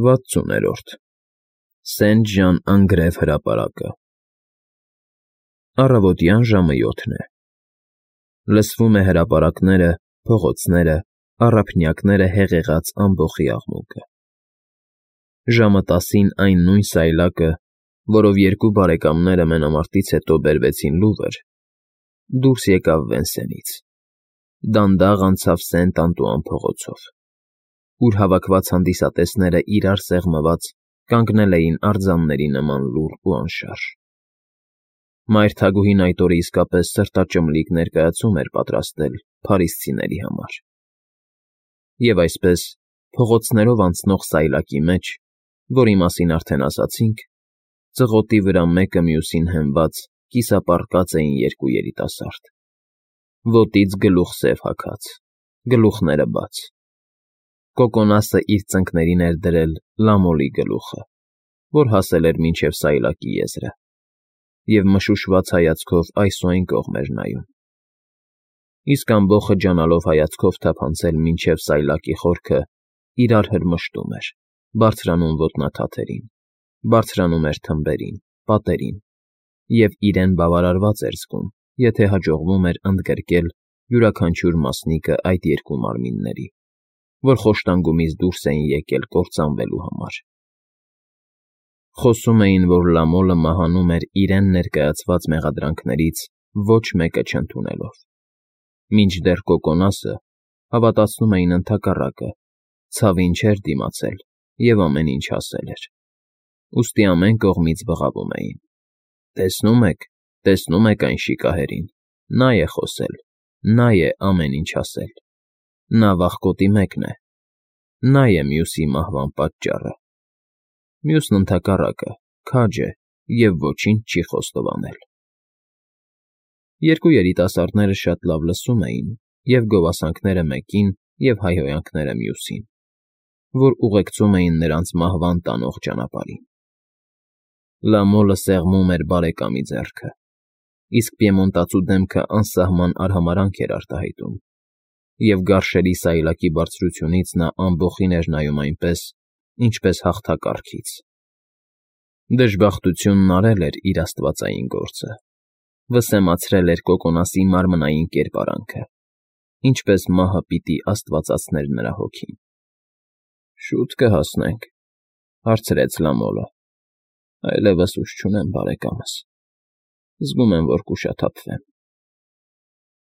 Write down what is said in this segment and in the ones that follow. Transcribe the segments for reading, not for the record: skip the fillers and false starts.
60-րդ Սենթ Ժան Անգրև հրապարակը Առավոտյան ժամը 7 է։ Լսվում է հրապարակները, փողոցները, առափնյակները հեղեղած ամբոխի աղմուկը։ Ժամը 10-ին այն նույն սայլակը, որով երկու բարեկամները մենամարտից հետո բերվեցին Լուվր, դուրս եկավ Վենսենից, դանդաղ անցավ Սենտ Անտուան փողոցով, ուր հավաքված հանդիսատեսները իրար սեղմված կանգնել էին արձանների նման լուռ ու անշարժ։ Մայրթագուհին այդ օրը իսկապես սրտաճմլիկ ներկայացում էր պատրաստել փարիսցիների համար։ Եվ այսպես, փողոցներով անցնող սայլակի մեջ, որի մասին արդեն ասացինք, ծղոտի վրա մեկը մյուսին հենված կիսապառկած էին երկու երիտասարդ, ոտից գլուխ սև հագած, գլուխները բաց։ Կոկոնասը իր ծնկներին էր դրել Լամոլի գլուխը, որ հասել էր մինչև սայլակի եզրը, և մշուշված հայացքով այս ու այն կողմ էր նայում։ Իսկ ամբոխը ջանալով հայացքով թափանցել մինչև սայլակի խորքը, իրար հրմշտում էր, բարձրանում ոտնաթաթերին, բարձրանում էր թմբերին, պատերին, և իրեն բավարարված էր զգում, եթե հաջողվում էր ընդգրկել յուրաքանչյուր մասնիկը այդ երկու մարմինների, որ խոշտանգումից դուրս էին եկել կործանվելու համար։ Խոսում էին, որ Լամոլը մահանում էր իրեն ներկայացված մեղադրանքներից ոչ մեկը չընդունելով, մինչդեռ Կոկոնասը հավատացնում էին ընդհակառակը, ցավին չէր դիմացել և ամեն ինչ ասել էր։ Ուստի ամեն կողմից բղավում էին. տեսնում եք այն շիկահերին, նա է խոսել, նա է ամեն ինչ ասել, նա վախկոտի մեկն է, նա է մյուսի մահվան պատճառը։ Մյուսն ընդհակառակը, քաջ է և ոչինչ չի խոստովանել։ Երկու երիտասարդները շատ լավ լսում էին և գովասանքները մեկին և հայհոյանքները մյուսին, որ ուղեկցում էին նրանց մահվան տանող ճանապարհին։ Լամոլը սեղմում էր բարեկամի ձեռքը, իսկ պիեմոնտացու դեմքը անսահման արհամարհանք էր արտահայտում, և գարշելի սայլակի բարձրությունից նա ամբոխին էր նայում այնպես, ինչպես հաղթակառքից։ Դժբախտությունն արել էր իր աստվածային գործը, վսեմացրել էր Կոկոնասի մարմնային կերպարանքը, ինչպես մահը պիտի աստվածացներ նրա հոգին։ Շո՞ւտ կհասնենք,֊ հարցրեց Լամոլը։ Այլևս ուժ չունեմ, բարեկամս, զգում եմ, որ կուշաթափվեմ։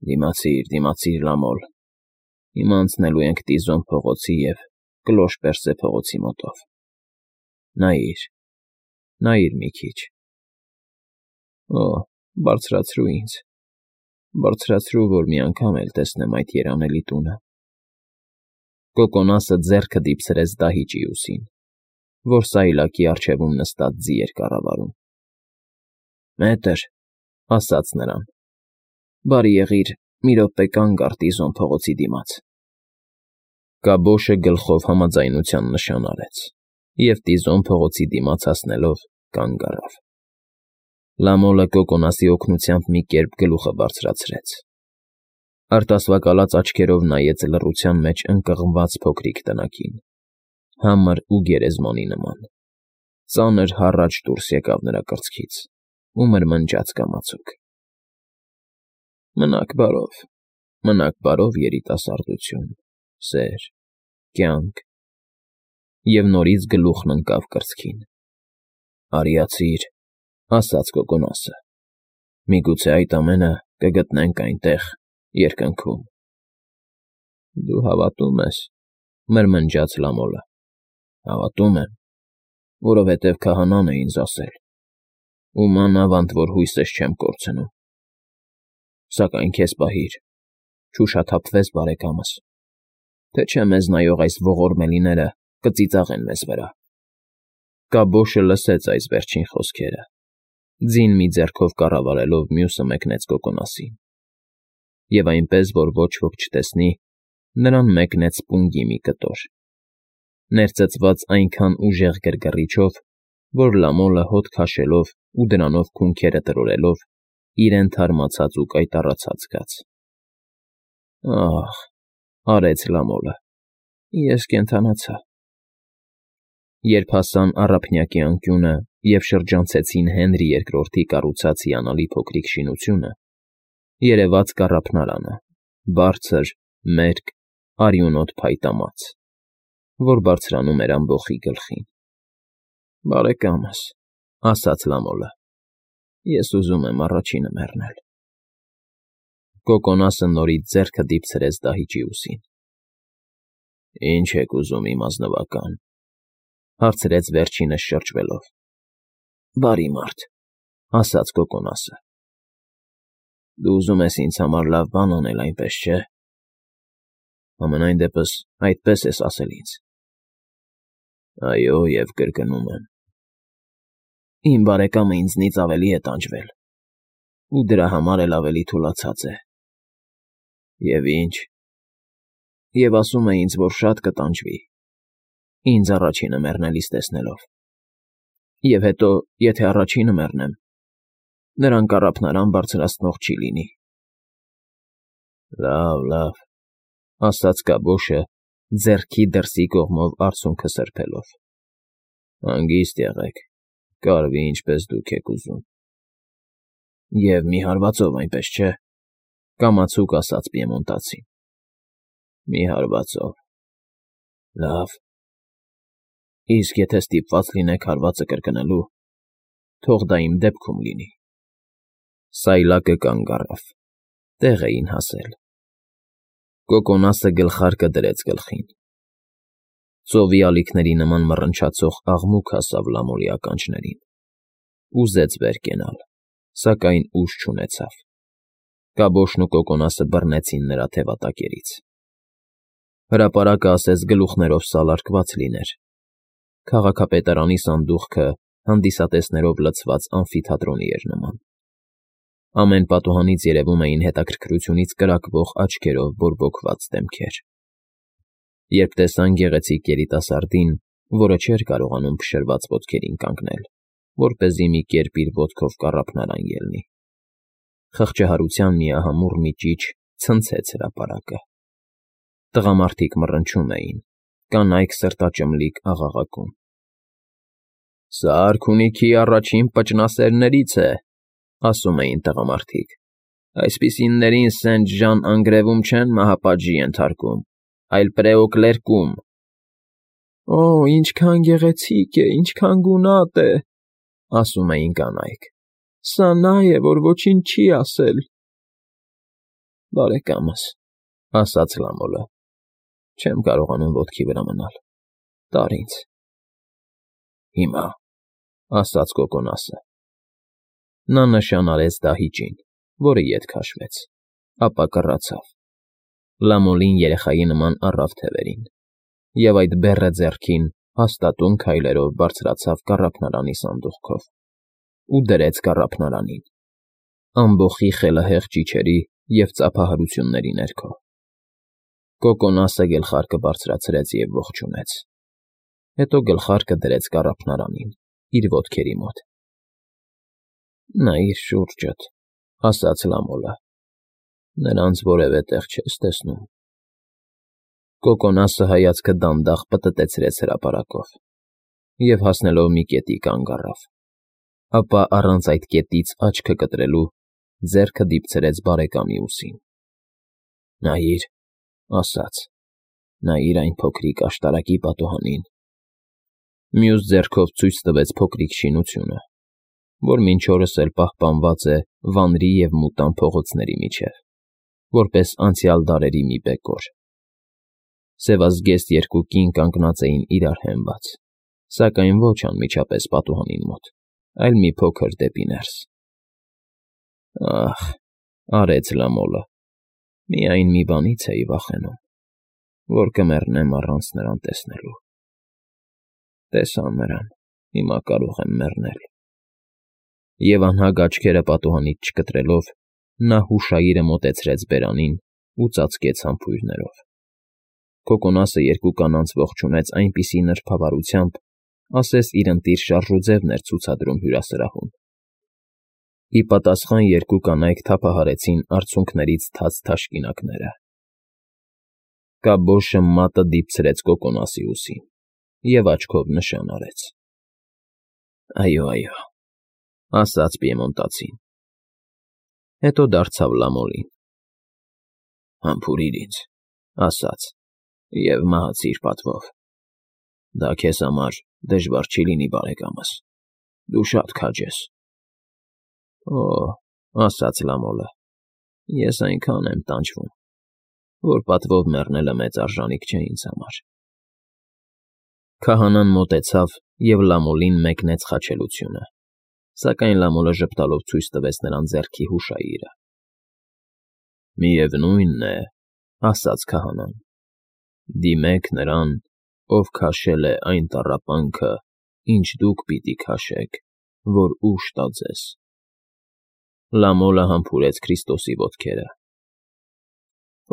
Դիմացիր, Լամոլ, հիմա անցնելու ենք Տիզոն փողոցի և Կլոշ Պերսե փողոցի մոտով։ Նայիր մի քիչ։ Օ, բարձրացրու ինձ, որ մի անգամ էլ տեսնեմ այդ երանելի տունը։ Կոկոնասը ձեռքը դիպցրեց դահիճի ուսին, որ սայլակի առջևում նստած ձի էր կառավարում։ Մետր, ասաց նրան, բարի եղիր մի րոպե կանգ առ Տիզոն փողոցի դիմաց։ Կաբոշը գլխով համաձայնության նշան արեց, և Տիզոն փողոցի դիմաց հասնելով կանգ առավ։ Լամոլը Կոկոնասի օգնությամբ մի կերպ գլուխը բարձրացրեց։ Արտասվակալած աչքերով նայեց լռության մեջ ընկղմված փոքրիկ տնակին, համր ու գերեզմանի նման։ Ծանր հառաչ դուրս եկավ նրա կրծքից ու մրմնջաց կամացուկ. Մնաք բարով, երիտասարդություն, սեր, կյանք, և նորից գլուխն ընկավ կրծքին։ Արիացիր, ասաց Կոկոնասը, միգուցե այդ ամենը կգտնենք այնտեղ, երկնքում։ Դու հավատում ես,֊ մրմնջաց Լամոլը։ Հավատում եմ, որովհետև քահանան է ինձ ասել, ու մանավանդ որ հույսս չեմ կորցնում։ Սակայն քեզ պահիր, չուշաթափվես, բարեկամս, թե չէ մեզ նայող այս ողորմելիները կծիծաղեն մեզ վրա։ Կաբոշը լսեց այս վերջին խոսքերը, ձին մի ձեռքով կառավարելով մյուսը մեկնեց Կոկոնասին, և այնպես, որ ոչ ոք չտեսնի, նրան մեկնեց պունգի մի կտոր, ներծծված այնքան ուժեղ գրգռիչով, որ Լամոլը հոտ քաշելով ու դրանով քունքերը տրորելով, իրեն թարմացած ու կայտառացած զգաց։ Ահ,֊ արեց Լամոլը, ես կենդանացա։ Երբ հասան առափնյակի անկյունը և շրջանցեցին Հենրի II կառուցած հիանալի փոքրիկ շինությունը, երևաց կառափնարանը, բարձր, մերկ, արյունոտ փայտամած, որ բարձրանում էր ամբոխի գլխին։ «Բարեկամս,֊ ասաց Լամոլը,֊ ես ուզում եմ առաջինը մեռնել»։ Կոկոնասը նորից ձեռքը դիպցրեց դահիճի ուսին։ «Ի՞նչ եք ուզում, իմ ազնվական,֊ հարցրեց վերջինս շրջվելով։ «Բարի մարդ,֊ ասաց Կոկոնասը,֊ դու ուզում ես ինձ համար լավ բան անել, այնպես չէ՞։ Համենայն դեպս այդպես ես ասել ինձ»։ «Այո, և կրկնում եմ»։ «Իմ բարեկամը ինձնից ավելի է տանջվել, ու դրա համար էլ ավելի թուլացած է»։ «Եվ ի՞նչ»։ «Եվ ասում է ինձ, որ շատ կտանջվի, ինձ առաջինը մեռնելիս տեսնելով։ Եվ հետո, եթե առաջինը մեռնեմ, նրան կառափնարան բարձրացնող չի լինի»։ «Լավ, լավ,֊ ասաց կաբոշը, ձեռքի դրսի կողմով արցունքը սրբելով,֊ հանգիստ եղեք, կարվի ինչպես դուք եք ուզում»։ «Եվ մի հարվածով, այնպես չէ՞։ Կամացուկ ասաց պիեմոնտացին։ Մի հարվածով»։ «Լավ։ Իսկ եթե ստիպված լինեք հարվածը կրկնելու, թող դա իմ դեպքում լինի»։ Սայլակը կանգ առավ, տեղ էին հասել։ Կոկոնասը գլխարկը դրեց գլխին։ Ծովի ալիքների նման մռնչացող աղմուկ հասավ Լամոլի ականջներին։ Ուզեց վեր կենալ, սակայն ուժ չունեցավ։ Կաբոշն ու Կոկոնասը բռնեցին նրա թևատակերից։ Հրապարակը ասես գլուխներով սալարկված լիներ։ Քաղաքապետարանի սանդուղքը հանդիսատեսներով լցված ամֆիթատրոնի էր նման։ Ամեն պատուհանից երևում էին հետաքրքրությունից կրակվող աչքերով բորբոքված դեմքեր։ Երբ տեսան գեղեցիկ երիտասարդին, որը չէր կարողանում փշրված ոտքերին կանգնել, որպեսզի մի կերպ իր ոտքով կառափնարան ելնի, խղճահարության միահամուռ մի ճիչ ցնցեց հրապարակը։ Տղամարդիկ մռնչում էին, կանայք սրտաճմլիկ աղաղակում։ «Սա արքունիքի առաջին պճնասերներից է», ասում էին տղամարդիկ։ «Այսպիսիներին Սենթ Ժան անգրևում չեն մահապատժի ենթարկում, այլ պրեոկլերկում»։ «Օ, ինչքան գեղեցիկ է, ինչքան գունատ է», ասում էին կանայք։ «Սա նա է, որ ոչինչ չի ասել»։ «Բարեկամս,֊ ասաց Լամոլը,֊ չեմ կարողանում ոտքի վրա մնալ, տար ինձ»։ «Հիմա», ասաց Կոկոնասը։ Նա նշան արեց դահիճին, որը ետ քաշվեց, ապա կռացավ։ Լամոլին երեխայի նման առավ թևերին, և այդ բեռը ձեռքին հաստատուն քայլերով բարձրացավ կառափնարանի սանդուղքով ու դրեց կառափնարանին, ամբոխի խելահեղ ճիչերի և ծափահարությունների ներքո։ Կոկոնասը գլխարկը բարձրացրեց և ողջունեց։ Հետո գլխարկը դրեց կառափնարանին, իր ոտքերի մոտ։ «Նայիր շուրջդ», ասաց Լամոլը, «նրանց որևէ տեղ չես տեսնում»։ Կոկոնասը հայացքը դանդաղ պտտեցրեց հրապարակով և հասնելով մի կետի կանգ առավ, ապա առանց այդ կետից աչքը կտրելու ձեռքը դիպցրեց բարեկամի ուսին։ «Նայիր,֊ ասաց,֊ նայիր այն փոքրիկ աշտարակի պատուհանին»։ Մյուս ձեռքով ցույց տվեց փոքրիկ շինությունը, որ մինչ օրս էլ պահպանված է վանրի և մութան փողոցների միջև, որպես անցյալ դարերի մի բեկոր։ Սևազգեստ երկու կին կանգնած էին իրար հենված, սակայն ոչ անմիջապես պատուհանին մոտ, այլ մի փոքր դեպի ներս։ «Ախ,֊ արեց Լամոլը,֊ միայն մի բանից էի վախենում, որ կմեռնեմ առանց նրան տեսնելու։ Տեսա նրան, հիմա կարող եմ մեռնել»։ Եվ անհագ աչքերը պատուհանից չկտրելով, նա հուշայիրը մոտեցրեց բերանին ու ծածկեց համբույրներով։ Կոկոնասը երկու կանանց ողջունեց այնպիսի նրբավարությամբ, ասես իր ընտիր շարժուձևն էր ցուցադրում հյուրասրահում։ Ի պատասխան երկու կանայք թափահարեցին արցունքներից թաց թաշկինակները։ Կաբոշը մատը դիպցրեց Կոկոնասի ուսին և աչքով նշան արեց։ Այո, այո, ասաց պիեմոնտացին։ Հետո դարձավ Լամոլին. Համբուրիր ինձ, ասաց, և մահացիր պատվով։ Դա քեզ համար դժվար չի լինի, բարեկամս, դու շատ քաջ ես։ Օ, ասաց Լամոլը, ես այնքան եմ տանջվում, որ պատվով մեռնելը մեծ արժանիք չէ ինձ համար։ Քահանան մոտեցավ և Լամոլին մեկնեց խաչելությունը, սակայն Լամոլը ժպտալով ցույց տվեց նրան ձեռքի հուշայիրը։ Միևնույն է, ասաց քահանան, դիմեք նրան, ով քաշել է այն տառապանքը, ինչ դուք պիտի քաշեք, որ ուժ տա ձեզ։ Լամոլը համբուրեց Քրիստոսի ոտքերը։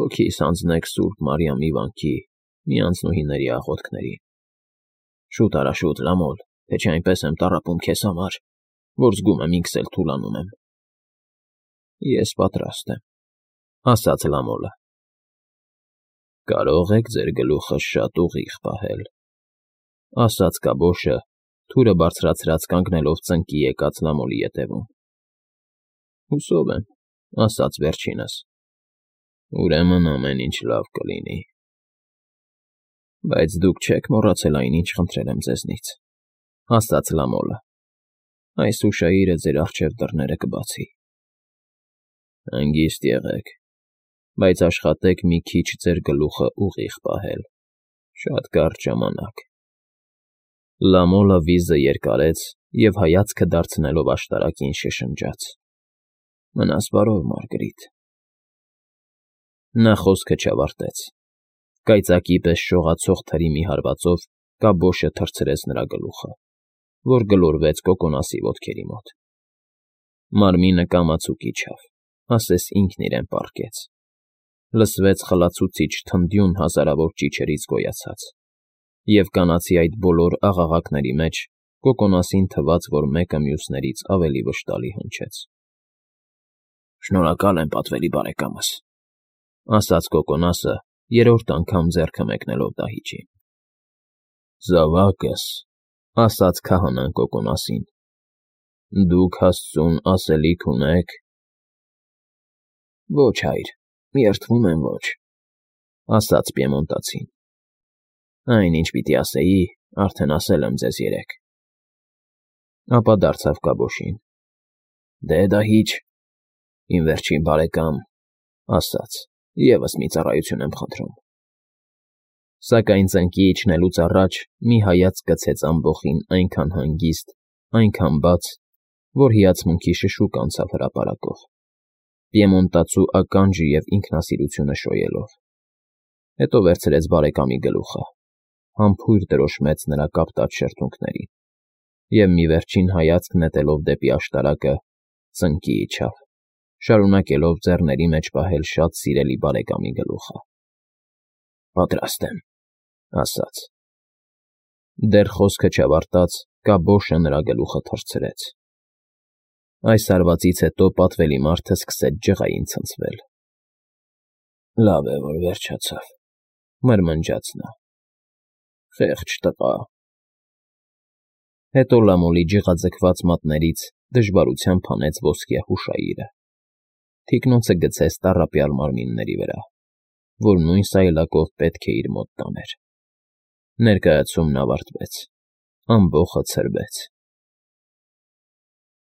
Հոգիս հանձնեք Սուրբ Մարիամի վանքի մի անձնուհիների աղոթքներին։ Շուտ արա, շուտ, Լամոլ, թե չէ այնպես եմ տառապում քեզ համար, որ զգում եմ ինքս էլ թուլանում եմ։ Ես պատրաստ եմ, ասաց Լամոլը։ Կարող եք ձեր գլուխը շատ ուղիղ պահել, ասաց կաբոշը, թուրը բարձրացրած կանգնելով ծնկի եկած Լամոլի ետևում։ Հուսով եմ, ասաց վերջինս։ Ուրեմն ամեն ինչ լավ կլինի։ Բայց դուք չեք մոռացել այն, ինչ խնդրել եմ ձեզնից, ասաց Լամոլը։ Այս հուշայիրը ձեր առջև դռները կբացի։ Հանգիստ եղեք, բայց աշխատեք մի քիչ ձեր գլուխը ուղիղ պահել, շատ կարճ ժամանակ։ Լամոլը վիզը երկարեց և հայացքը դարձնելով աշտարակին շշնջաց. Մնաս բարով, Մարգրիտ։ Նա խոսքը չավարտեց։ Կայծակի պես շողացող թրի մի հարվածով կաբոշը թռցրեց նրա գլուխը, որ գլորվեց կոկոնասի ոտքերի մոտ։ Մարմինը կամացուկ իջավ, ասես ինքն իրեն պառկեց։ Լսվեց խլացուցիչ թնդյուն հազարավոր ճիչերից գոյացած, և կանացի այդ բոլոր աղաղակների մեջ կոկոնասին թվաց, որ մեկը մյուսներից ավելի վշտալի հնչեց։ Շնորհակալ եմ, պատվելի բարեկամս, ասաց կոկոնասը, երրորդ անգամ ձեռքը մեկնելով դահիճին։ Զավակս, ասաց քահանան կոկոնասին, դուք Աստծուն ասելիք ունե՞ք։ Ոչ, հայր, երդվում եմ, ոչ, ասաց պիեմոնտացին։ Այն, ինչ պիտի ասեի, արդեն ասել եմ ձեզ երեկ։ Ապա դարձավ կաբոշին. Դե դահիճ, իմ վերջին բարեկամ, ասաց, ևս մի ծառայություն եմ խնդրում։ Սակայն ծնկի իջնելուց առաջ մի հայացք գցեց ամբոխին այնքան հանգիստ, այնքան բաց, որ հիացմունքի շշուկ անցավ հրապարակով, պիեմոնտացու ականջը և ինքնասիրությունը շոյելով։ Հետո վերցրեց բարեկամի գլուխը, համբույր դրոշմեց նրա կապտած շրթունքներին և մի վերջին հայացք նետելով դեպի աշտարակը, ծնկի իջավ, շարունակելով ձեռների մեջ պահել շատ սիրելի բարեկամի գլուխը։ Պատրաստ եմ, ասաց։ Դեռ խոսքը չավարտած, կաբոշը նրա գլուխը թռցրեց։ Այս հարվածից հետո պատվելի մարդը սկսեց ջղային ցնցվել։ Լավ է, որ վերջացավ, մրմնջաց նա։ Խեղճ տղա։ Հետո Լամոլի ջղաձգված մատներից դժվարությամբ հանեց ոսկյա հուշայիրը։ Թիկնոցը գցեց տառապյալ մարմինների վրա, որ նույն սայլակով պետք է իր մոտ տաներ։ Ներկայացումն ավարտվեց, ամբոխը ցրվեց։